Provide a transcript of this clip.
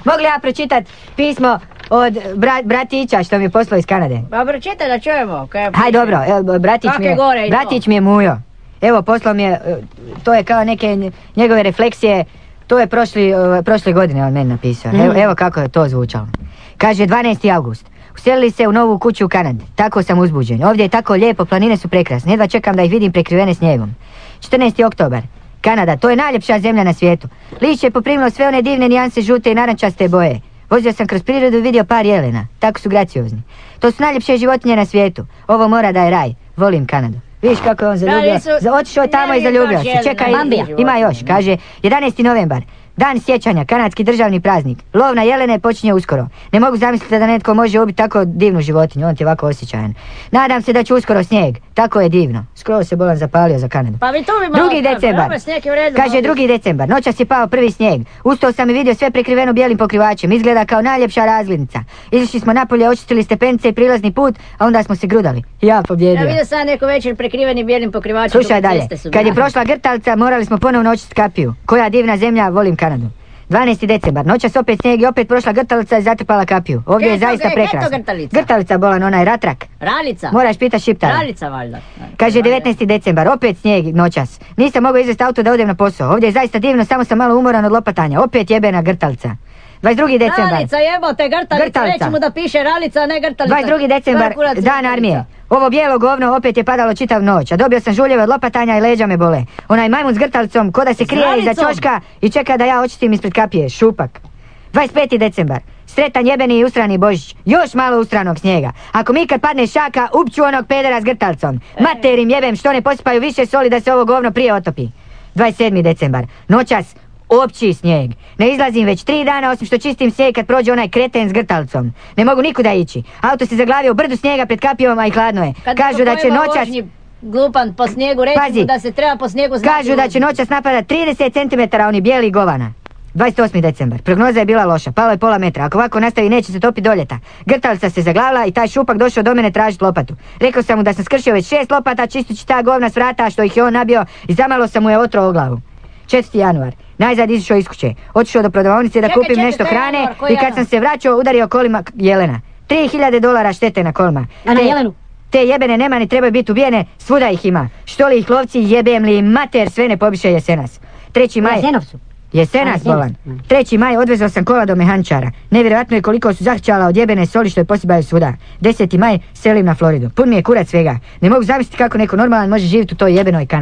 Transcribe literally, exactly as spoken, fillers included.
Mogli ja pročitat pismo od bra, bratića što mi je poslao iz Kanade? Pa pročitaj da čujemo. Haj dobro, evo, bratić, mi je, bratić mi je Mujo. Evo poslao mi je, to je kao neke njegove refleksije, to je prošli, prošle godine on meni napisao. Mm. Evo, evo kako je to zvučalo. Kaže dvanaesti august. Uselili se u novu kuću u Kanadi. Tako sam uzbuđen. Ovdje je tako lijepo, planine su prekrasne. Jedva čekam da ih vidim prekrivene snijegom. četrnaesti oktobar. Kanada, to je najljepša zemlja na svijetu. Lišće je poprimilo sve one divne nijanse žute i narančaste boje. Vozio sam kroz prirodu i vidio par jelena. Tako su graciozni. To su najljepše životinje na svijetu. Ovo mora da je raj. Volim Kanadu. Vidiš kako je on zaljubio. Otišao je tamo i zaljubio se. Čekaj, ima još. Kaže jedanaesti novembar. Dan sjećanja, kanadski državni praznik. Lov na jelene počinje uskoro. Ne mogu zamisliti da netko može ubiti tako divnu životinju, on ti je ovako osjećajan. Nadam se da će uskoro snijeg, tako je divno. Skoro se bolan zapalio za Kanadu. Pa mi tu bi malo... Drugi decembar, kaže drugi decembar, noćas je pao prvi snijeg. Ustao sam i vidio sve prekriveno bijelim pokrivačem, izgleda kao najljepša razglednica. Izašli smo napolje, očistili stepenice i prilazni put, a onda smo se grudali. Ja pobjedio. Ja vidio sam neko večer prekriveni bijelim pokrivačem. Slušaj dalje, kad je prošla grtalca, morali smo ponovno očistiti kapiju. Koja divna zemlja, volim Kanadu. dvanaesti decembar, noćas opet snijeg i opet prošla grtalica i zatrpala kapiju. Ovdje je zaista prekrasno. Grtalica bolan, onaj ratrak. Ralica. Moraš pitati Šiptara. Ralica valjda. Kaže devetnaesti decembar, opet snijeg noćas. Nisam mogao izvesti auto da odem na posao. Ovdje je zaista divno, samo sam malo umoran od lopatanja. Opet jebena grtalica. dvadeset drugi decembar. Ralica jebote, grtalica. Reći mu da piše ralica, a ne grtalica. dvadeset drugi decembar, dan armije. Ovo bijelo govno opet je padalo čitav noć, a dobio sam žuljeve od lopatanja i leđa me bole. Onaj majmun s grtalicom ko da se krije iza ćoška i čeka da ja očistim ispred kapije. Šupak. dvadeset peti decembar. Sretan jebeni i usrani Božić. Još malo usranog snijega. Ako mi kad padne šaka, upću onog pedera s grtalicom. Materim jebem što ne posipaju više soli da se ovo govno prije otopi. dvadeset sedmi decembar. Noćas opći snijeg. Ne izlazim već tri dana osim što čistim snijeg kad prođe onaj kreten s grtalicom. Ne mogu nikuda ići. Auto se zaglavio u brdu snijega pred kapijom, a i hladno je. Kad kažu da će noćas... Glupan po snijegu, reći mu da se treba po snijegu znati. Kažu da će noćas napadat trideset centimetara oni bijeli govana. dvadeset osmi decembar. Prognoza je bila loša. Palo je pola metra. Ako ovako nastavi neće se topi do ljeta. Grtalica se zaglavila i taj šupak došao do mene tražiti lopatu. Rekao sam mu da sam skršio već šest lopata čistući ta govna s vrata što ih je on nabio i zamalo sam mu je otro o glavu. četvrti januar. Najzad izišao iz kuće. Otišao do prodavaonice da čekaj, kupim čekaj, nešto hrane januar, i kad sam se vraćao udario kolima jelena. tri hiljade dolara štete na kolima. A na jelenu? Te jebene nemani trebaju biti ubijene, svuda ih ima. Što li ih lovci, jebem li mater, sve ne pobiše jesenas. treći maj... Jesenovcu. Jesenas, bolan. treći maj odvezao sam kola do mehančara. Nevjerojatno je koliko su zahćala od jebene soli što je posibaju svuda. deseti maj selim na Floridu. Pun mi je kurac svega. Ne mogu zamisliti kako neko normalan može živjeti u toj jebenoj Kanadi.